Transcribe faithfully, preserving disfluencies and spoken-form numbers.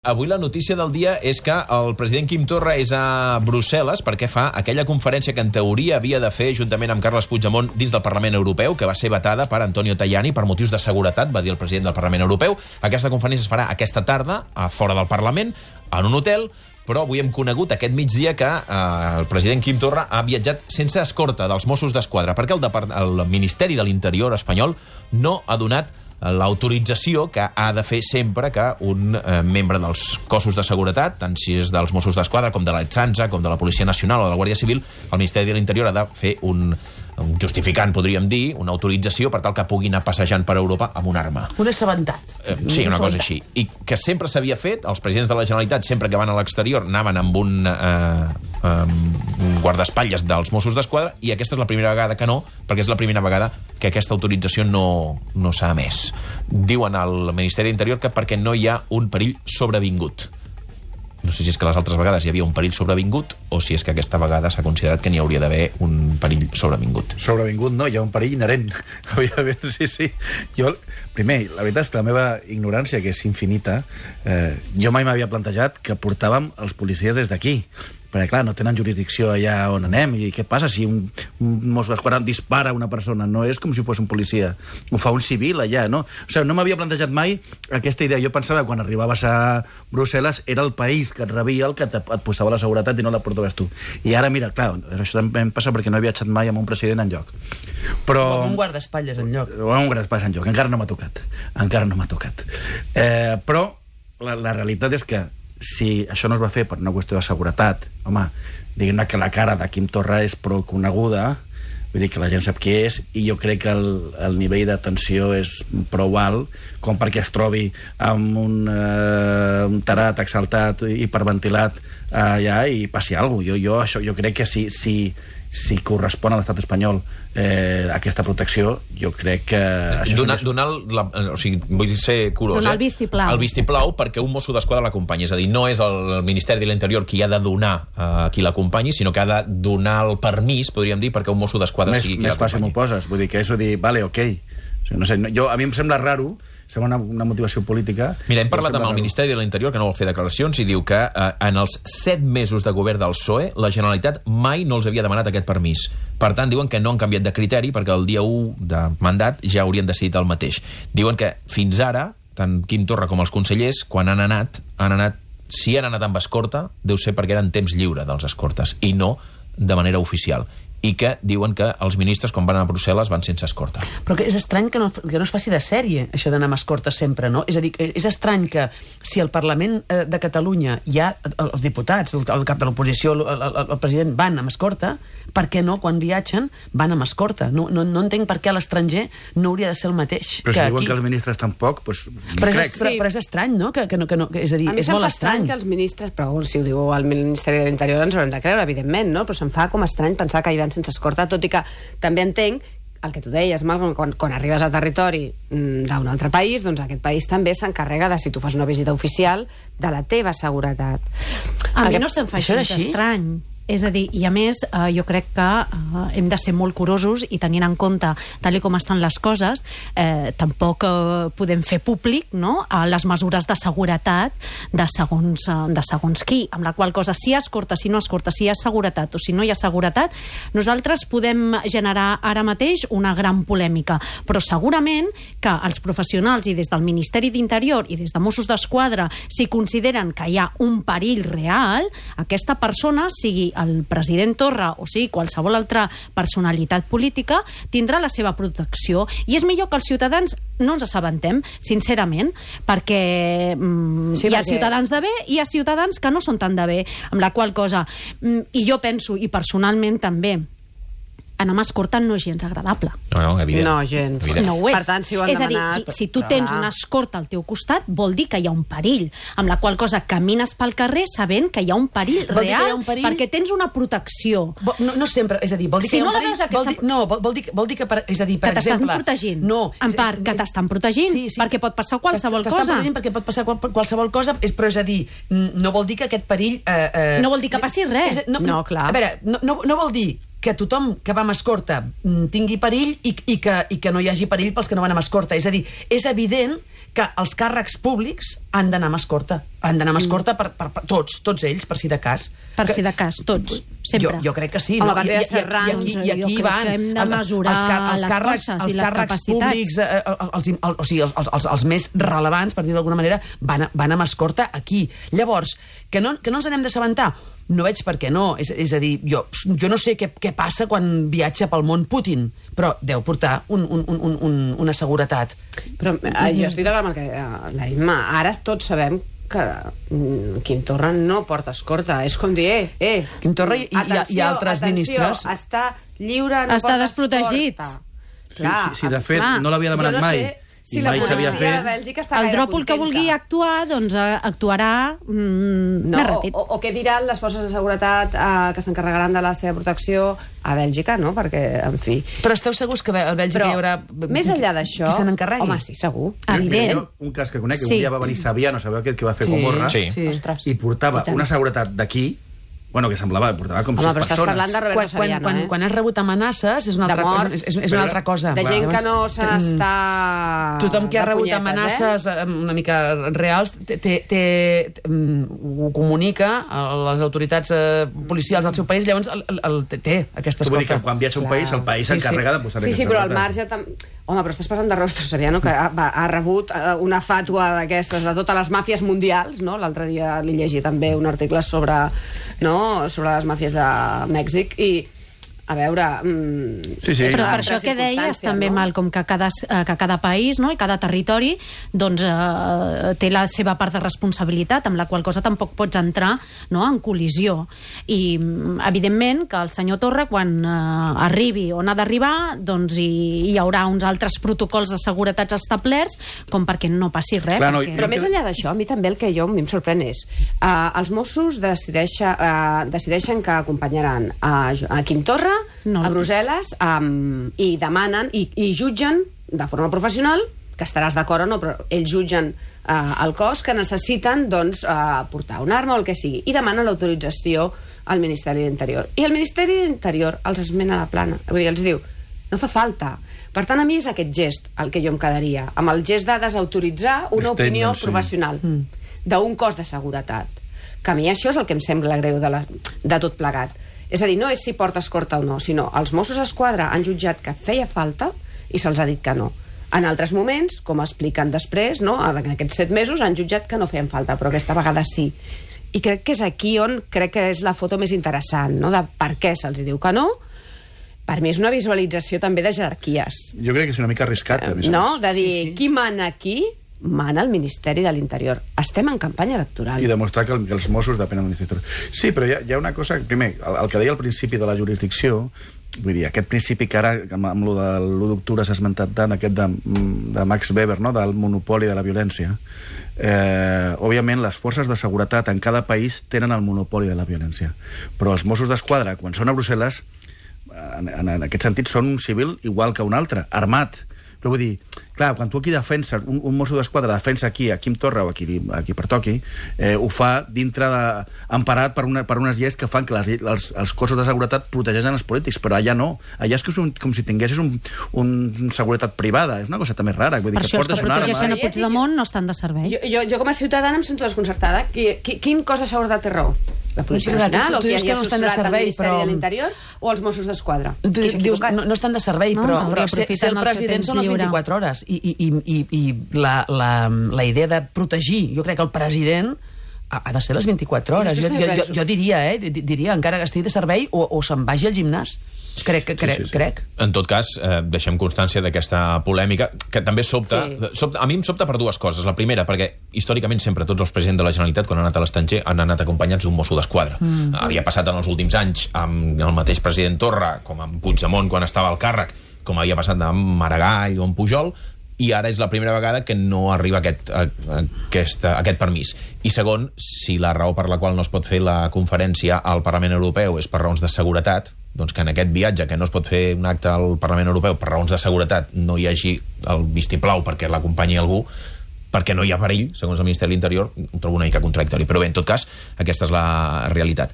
Avui la notícia del dia és que el president Quim Torra és a Brussel·les perquè fa aquella conferència que en teoria havia de fer juntament amb Carles Puigdemont dins del Parlament Europeu, que va ser vetada per Antonio Tajani per motius de seguretat, va dir el president del Parlament Europeu. Aquesta conferència es farà aquesta tarda, a fora del Parlament, en un hotel, però avui hem conegut aquest migdia que eh, el president Quim Torra ha viatjat sense escorta dels Mossos d'Esquadra, perquè el, Depart el Ministeri de l'Interior espanyol no ha donat l'autorització que ha de fer sempre que un eh, membre dels cossos de seguretat, tant si és dels Mossos d'Esquadra com de l'Ertzaintza, com de la Policia Nacional o de la Guàrdia Civil, el Ministeri de l'Interior ha de fer un, un justificant, podríem dir, una autorització per tal que pugui anar passejant per Europa amb una arma. Un assabentat. Eh, sí, una cosa així. I que sempre s'havia fet, els presidents de la Generalitat, sempre que van a l'exterior, anaven amb un, eh, um, un guardaespatlles dels Mossos d'Esquadra, i aquesta és la primera vegada que no, perquè és la primera vegada que aquesta autorització no, no s'ha emès. Diuen al Ministeri d'Interior que perquè no hi ha un perill sobrevingut. No sé si és que les altres vegades hi havia un perill sobrevingut o si és que aquesta vegada s'ha considerat que n'hi hauria d'haver un perill sobrevingut. Sobrevingut no, hi ha un perill inherent. Sí, sí. Jo, primer, la veritat és que la meva ignorància, que és infinita, eh, jo mai m'havia plantejat que portàvem els policies des d'aquí. Perquè, clar, no tenen jurisdicció allà on anem. I què passa si un, un Mosso d'Esquadra dispara una persona? No és com si fos un policia. Ho fa un civil allà, no? O sigui, no m'havia plantejat mai aquesta idea. Jo pensava que quan arribaves a Brussel·les era el país que et rebia el que et, et posava la seguretat i no la portaves tu. I ara, mira, clar, això també em passa perquè no he viatjat mai amb un president enlloc. Però... O amb un guardaespatlles enlloc. O amb un guardaespatlles enlloc. Encara no m'ha tocat. Encara no m'ha tocat. Eh, però la, la realitat és que si això no es va fer per una qüestió de seguretat, home, diguem-ne que la cara de Quim Torra és prou coneguda, vull dir que la gent sap qui és, i jo crec que el, el nivell de tensió és prou alt com perquè es trobi amb un, eh, un tarat exaltat, hiperventilat allà i passi alguna cosa. Jo, jo, això, jo crec que si, si, si correspon a l'estat espanyol eh, aquesta protecció, jo crec que... Donar, és... donar la, o sigui, vull ser curós, donar eh? el vistiplau. El vistiplau perquè un Mosso d'Esquadra l'acompanyi. És a dir, no és el Ministeri de l'Interior qui ha de donar a qui l'acompanyi, sinó que ha de donar el permís, podríem dir, perquè un Mosso d'Esquadra més, sigui qui l'acompanyi. Més fàcil m'ho poses. Vull dir que és dir, vale, ok. O sigui, no sé, no, jo, a mi em sembla raro, sembla una, una motivació política... Mira, hem parlat amb el Ministeri de l'Interior, que no vol fer declaracions, i diu que eh, en els set mesos de govern del P S O E, la Generalitat mai no els havia demanat aquest permís. Per tant, diuen que no han canviat de criteri, perquè el dia u de mandat ja haurien decidit el mateix. Diuen que fins ara, tant Quim Torra com els consellers, quan han anat, han anat, si han anat amb escorta, deu ser perquè eren temps lliure dels escortes, i no de manera oficial. I que diuen que els ministres, quan van a Brussel·les, van sense escorta. Però que és estrany que no, que no es faci de sèrie, això d'anar amb escorta sempre, no? És a dir, és estrany que si al Parlament de Catalunya hi ha els diputats, el, el cap de l'oposició, el, el, el president, van amb escorta, per què no, quan viatgen, van amb escorta? No, no, no entenc per què a l'estranger no hauria de ser el mateix. Però que si diuen aquí... que els ministres tampoc, doncs... Però, crec. és, però, però és estrany, no? Que, que no, que no que, és a dir, és molt estrany. que els ministres, però si ho diu el Ministeri de l'Interior ens ho hem de creure, evidentment, no? Però se'm fa com estrany pensar que hi van sense escorta, tot i que també entenc el que tu deies, Malcolm, quan, quan arribes al territori mm, d'un altre país, doncs aquest país també s'encarrega de, si tu fas una visita oficial, de la teva seguretat. A Perquè mi no se'm fa això era gens així? estrany. És a dir, i a més, eh, jo crec que eh, hem de ser molt curosos i tenint en compte, tal com estan les coses, eh, tampoc eh, podem fer públic, no?, eh, les mesures de seguretat de segons, eh, de segons qui, amb la qual cosa, si hi ha escorta, si no escorta, si hi ha seguretat o si no hi ha seguretat, nosaltres podem generar ara mateix una gran polèmica, però segurament que els professionals i des del Ministeri d'Interior i des de Mossos d'Esquadra, si consideren que hi ha un perill real, aquesta persona, sigui el president Torra o sigui qualsevol altra personalitat política, tindrà la seva protecció. I és millor que els ciutadans no ens assabentem, sincerament, perquè mm, sí, hi ha perquè... ciutadans de bé i hi ha ciutadans que no són tan de bé, amb la qual cosa... Mm, I jo penso, i personalment també, anar amb escorta no és gens agradable. No, no, evident. No, gens. Evident. No ho és. Per tant, si ho han és a dir, demanat... i, si tu tens una escorta al teu costat, vol dir que hi ha un perill, amb la qual cosa camines pel carrer sabent que hi ha un perill Vol dir que hi ha real, un perill? perquè tens una protecció. Vol- No, no sempre, és a dir, vol dir Si que hi ha no un la perill... veus aquesta- Vol dir, no, vol, vol, dir, vol dir que, per, és a dir, per Que t'estan exemple... protegint. No. En part, que t'estan protegint, perquè pot passar qualsevol T'estan cosa. protegint perquè pot passar qual, qualsevol cosa, és, però és a dir, mm, no vol dir que aquest perill... Eh, eh, No vol dir que passi res. És, no, No, clar. A veure, no, no, no vol dir que tothom que va amb escorta mm, tingui perill i, i, que, i que no hi hagi perill pels que no van amb escorta. És a dir, és evident que els càrrecs públics han d'anar amb escorta. Han d'anar amb escorta per, per, per tots, tots ells, per si de cas. Per que, si de cas, tots, sempre. Jo, jo crec que sí. Home, No? a partir de I, i, i, Serrans, i aquí, i aquí jo crec van que hem de mesurar els, car els les càrrecs, forces els i les càrrecs capacitats. públics, eh, els, els, o sigui, els, els, els més relevants, per dir-ho d'alguna manera, van, a, van amb escorta aquí. Llavors, que no, que no ens n'hem d'assabentar? No veig per què no. És, és a dir, jo, jo no sé què, què passa quan viatja pel món Putin, però deu portar un, un, un, un, una seguretat. Però eh, jo estic d'acord amb el que eh, la Imma. Ara tots sabem que mm, Quim Torra no porta escorta. És com dir, eh, eh... Quim Torra i, i, atenció, i altres atenció, ministres. està lliure, no Està porta desprotegit. escorta. Sí, sí, sí, de fet, clar. no l'havia demanat Jo no mai. sé si I la mai s'havia policia de fet. Bèlgica està El gaire dròpol que contenta. vulgui actuar, doncs eh, actuarà mm, No, més o, ràpid. o, o què diran les forces de seguretat eh, que s'encarregaran de la seva protecció a Bèlgica, no? Perquè, en fi... Però esteu segurs que a Bèlgica Però, hi haurà... més enllà d'això... Qui se n'encarregui? Home, sí, segur. Evident. Jo, un cas que conec, que Sí. un dia va venir Saviano, sabeu aquell que va fer Sí, Gomorra, Sí. sí. Ostres. i portava I tant. una seguretat d'aquí, bueno, que semblava, portava com Home, sis però estàs persones. parlant de Roberto Quan, quan, Saviano, quan, eh? quan has rebut amenaces és una, De altra, mort. és, és, és una altra cosa. De gent que no se Mm. n'està... Tothom que ha de rebut punyetes, amenaces Eh? eh? una mica reals té, té, té, mm, ho comunica a les autoritats eh, policials del seu país, llavors el, el, el, té aquesta Vull dir que escolta. quan viatja a un Clar. país, el país Sí, s'encarrega sí. de posar Sí, sí, aquesta però al seguretat. marge... Tam... Home, però estàs parlant de Roberto Saviano, que ha, va, ha rebut eh, una fàtua d'aquestes, de totes les màfies mundials, no? L'altre dia li llegia també un article sobre, no? sobre les màfies de Mèxic, i a veure... Mm, Sí, sí. és Però una per altra això que deies circumstància, també, no? Malcolm, que cada, eh, que cada país, no?, i cada territori doncs, eh, té la seva part de responsabilitat, amb la qual cosa tampoc pots entrar, no?, en col·lisió. I, mm, evidentment, que el senyor Torra, quan eh, arribi on ha d'arribar, doncs hi, hi haurà uns altres protocols de seguretats establerts, com perquè no passi res. Clar, no, perquè... Però més enllà d'això, a mi també el que jo a mi em sorprèn és uh, els Mossos decideixen, uh, decideixen que acompanyaran a, a Quim Torra No. a Brussel·les um, i demanen i, i jutgen de forma professional, que estaràs d'acord o no, però ells jutgen uh, el cos que necessiten doncs, uh, portar una arma o el que sigui, i demanen l'autorització al Ministeri d'Interior. I el Ministeri d'Interior els esmena la plana. Vull dir, els diu, no fa falta. Per tant, a mi és aquest gest el que jo em quedaria, amb el gest de desautoritzar una Statement, opinió sí. professional d'un cos de seguretat. Que a mi això és el que em sembla greu de, la, de tot plegat. És a dir, no és si porta escorta o no, sinó els Mossos d'Esquadra han jutjat que feia falta i se'ls ha dit que no. En altres moments, com expliquen després, no, en aquests set mesos han jutjat que no feien falta, però aquesta vegada sí. I crec que és aquí on crec que és la foto més interessant, no?, de per què se'ls diu que no. Per mi és una visualització també de jerarquies. Jo crec que és una mica arriscat, a més a No? més. De dir, Sí, sí. qui mana aquí? Mana el Ministeri de l'Interior. Estem en campanya electoral. I demostrar que, el, que els Mossos depenen del Ministeri. Sí, però hi ha, hi ha una cosa... Primer, el, el que deia al principi de la jurisdicció, vull dir, aquest principi que ara, amb, amb lo de l'u d'octubre s'ha esmentat tant, aquest de, de Max Weber, no?, del monopoli de la violència, eh, òbviament les forces de seguretat en cada país tenen el monopoli de la violència. Però els Mossos d'Esquadra, quan són a Brussel·les, en, en, en aquest sentit són un civil igual que un altre, armat. Però vull dir, clar, quan tu aquí defenses, un, un mosso d'esquadra defensa aquí, a Quim Torra o a qui, a qui pertoqui, eh, ho fa dintre de... emparat per, una, per unes lleis que fan que les, els, els cossos de seguretat protegeixen els polítics, però allà no. Allà és que és un, com si tinguessis un, un seguretat privada. És una cosa també rara. Vull dir, Per que això els que portes una protegeixen arma... a Puigdemont no estan de servei. Jo, jo, jo com a ciutadana em sento desconcertada. Qui, qui, quin cos de seguretat té raó? La Policia Sí, Nacional, tu- o tu qui dius hagi que no estan de assessorat al servei, Ministeri però- de l'Interior, o els Mossos d'Esquadra? Tu Qui s'ha dius, equivocat? no, no estan de servei, No, però, no, però ser, ser aprofiten el el seu president temps són les lliure. vint-i-quatre hores. I, i, i, i, i la, la, la idea de protegir, jo crec que el president ha, ha de ser les vint-i-quatre hores. Després Jo, també jo, jo, penso. jo diria, eh, di- diria, encara que estigui de servei, o, o se'n vagi al gimnàs. Crec, que crec, sí, sí. crec. En tot cas, eh, deixem constància d'aquesta polèmica, que també sobta, Sí. sobta... A mi em sobta per dues coses. La primera, perquè històricament sempre tots els presidents de la Generalitat, quan han anat a l'estranger, han anat acompanyats d'un mosso d'esquadra. Mm. Havia passat en els últims anys amb el mateix president Torra, com amb Puigdemont quan estava al càrrec, com havia passat amb Maragall o amb Pujol, i ara és la primera vegada que no arriba aquest, a, a, aquest, a aquest permís. I segon, si la raó per la qual no es pot fer la conferència al Parlament Europeu és per raons de seguretat, doncs que en aquest viatge, que no es pot fer un acte al Parlament Europeu per raons de seguretat, no hi hagi el vistiplau perquè l'acompanyi algú, perquè no hi ha perill, segons el Ministeri de l'Interior, ho trobo una mica contradictori. Però bé, en tot cas, aquesta és la realitat.